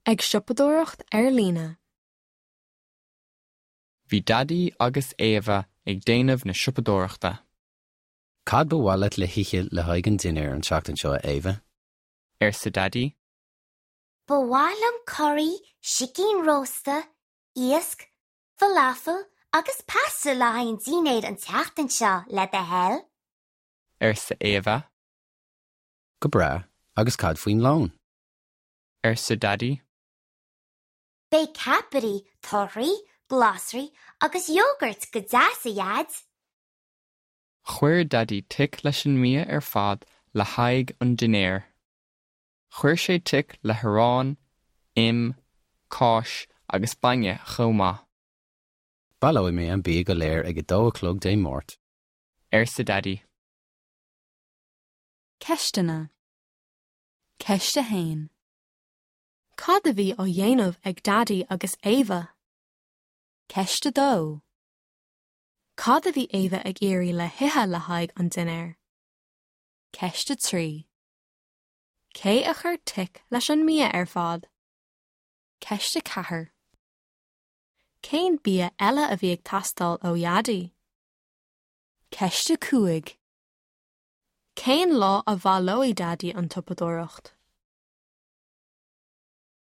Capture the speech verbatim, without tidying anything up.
Ag siopadóireacht ar líne. Bhí Daidí agus Éabha ag déanamh na siopadóireachta. Cad ba mhaith leat le hithe le haghaidh an dinnéir an tseachtain seo Éabha? Arsa Daidí. Ba mhaith liom curaí, sicín rósta, iasc, falafel agus pasta le haghaidh an dinnéir an tseachtain seo le do thoil. Arsa Éabha. Go breá agus cad faoin lón. Arsa Daidí. Beidh ceapairí, torthaí, glasraí agus iógart go deas a Dhaid. Chuir Daidí tic leis an mbia ar fad le haghaidh an dinnéir. Chuir sé tic le harán, im, cáis agus bainne chomh maith. Baileoidh mé an bia go léir ag a dó a chlog Dé Máirt. Arsa Daidí. Ceisteanna. Ceist a haon. Cad a bhí á dhéanamh ag Daidí agus Éabha? Ceist a dó. Cad a bhí Éabha ag iarraidh le hithe le haghaidh an dinnéir? Ceist a trí. Cé a chuir tic leis an mbia ar fad? Ceist a ceathair. Cén bia eile a bhí ag teastáil ó Dhaidí? Ceist a cúig. Cén lá a bhaileoidh Daidí an tsiopadóireacht?